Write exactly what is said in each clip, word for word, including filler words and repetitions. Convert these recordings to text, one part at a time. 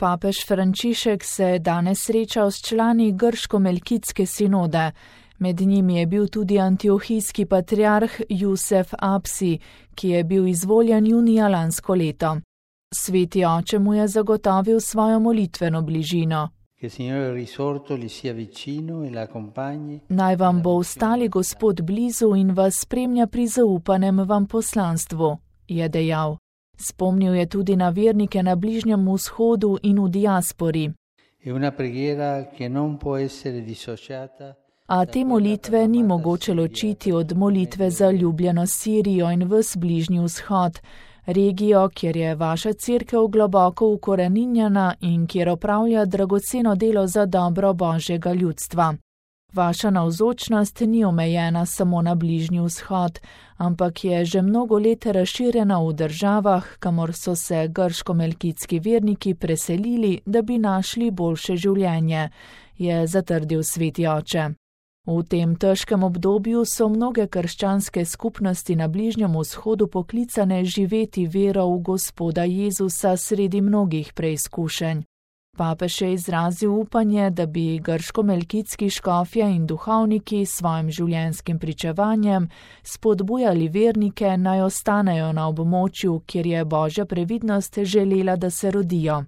Papež Frančišek se je danes srečal s člani grško-melkitske sinode. Med njimi je bil tudi antiohijski patriarh Jusef Apsi, ki je bil izvoljen junija lansko leto. Sveti oče mu je zagotovil svojo molitveno bližino. Naj vam bo ostali Gospod blizu in vas spremlja pri zaupanem vam poslanstvu, je dejal. Spomnil je tudi na vernike na Bližnjem vzhodu in v diaspori. A te molitve ni mogoče ločiti od molitve za ljubljeno Sirijo in ves Bližnji vzhod, regijo, kjer je vaša cerkev globoko ukoreninjena in kjer opravlja dragoceno delo za dobro Božjega ljudstva. Vaša navzočnost ni omejena samo na Bližnji vzhod, ampak je že mnogo let razširjena v državah, kamor so se grško-melkitski verniki preselili, da bi našli boljše življenje, je zatrdil sveti oče. V tem težkem obdobju so mnoge krščanske skupnosti na Bližnjem vzhodu poklicane živeti vero v Gospoda Jezusa sredi mnogih preizkušenj. Papež je izrazil upanje, da bi grško-melkitski škofje in duhovniki s svojim življenjskim pričevanjem spodbujali vernike, naj ostanejo na območju, kjer je Božja previdnost želela, da se rodijo.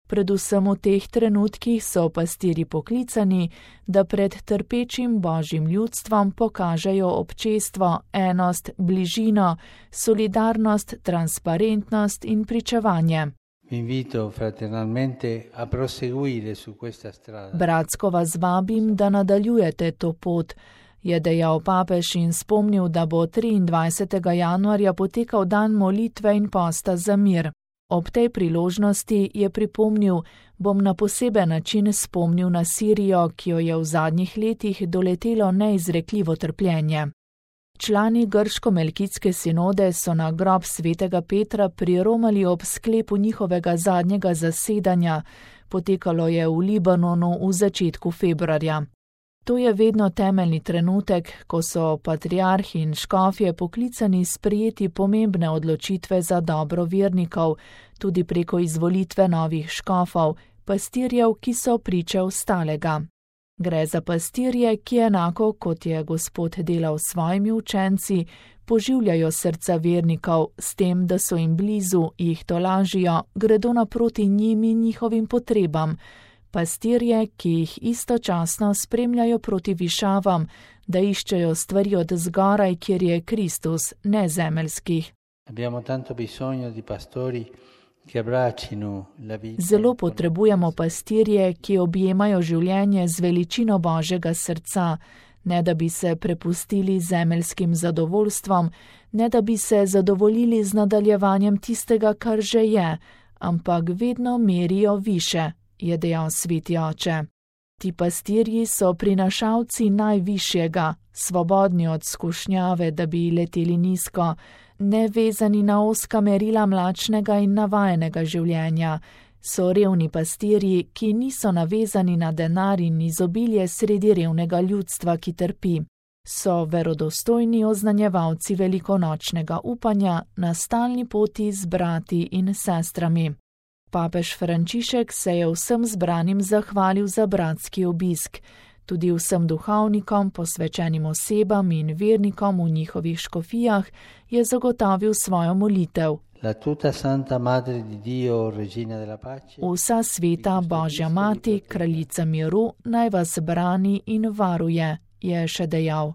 Predvsem v teh trenutkih so pastirji poklicani, da pred trpečim Božjim ljudstvom pokažejo občestvo, enost, bližino, solidarnost, transparentnost in pričevanje. Bratsko vas vabim, da nadaljujete to pot, je dejal papež in spomnil, da bo triindvajsetega januarja potekal dan molitve in posta za mir. Ob tej priložnosti je pripomnil, bom na poseben način spomnil na Sirijo, ki jo je v zadnjih letih doletelo neizrekljivo trpljenje. Člani grško-melkitske sinode so na grob svetega Petra priromali ob sklepu njihovega zadnjega zasedanja, potekalo je v Libanonu v začetku februarja. To je vedno temeljni trenutek, ko so patriarhi in škofje poklicani sprejeti pomembne odločitve za dobro vernikov, tudi preko izvolitve novih škofov, pastirjev, ki so priče ostalega. Gre za pastirje, ki enako, kot je Gospod delal s svojimi učenci, poživljajo srca vernikov s tem, da so jim blizu, jih tolažijo, gredo naproti njim in njihovim potrebam. Pastirje, ki jih istočasno spremljajo proti višavam, da iščejo stvari od zgoraj, kjer je Kristus, ne zemeljskih. Zelo potrebujemo pastirje, ki objemajo življenje z veličino Božjega srca, ne da bi se prepustili zemeljskim zadovoljstvom, ne da bi se zadovoljili z nadaljevanjem tistega, kar že je, ampak vedno merijo više, je dejal sveti oče. Ti pastirji so prinašalci najvišjega, svobodni od skušnjave, da bi leteli nizko, nevezani na ozka merila mlačnega in navajenega življenja. So revni pastirji, ki niso navezani na denar in izobilje sredi revnega ljudstva, ki trpi. So verodostojni oznanjevalci velikonočnega upanja na stalni poti z brati in sestrami. Papež Frančišek se je vsem zbranim zahvalil za bratski obisk, tudi vsem duhovnikom, posvečenim osebam in vernikom v njihovih škofijah je zagotovil svojo molitev. Vsa sveta Božja mati, kraljica miru, naj vas brani in varuje, je še dejal.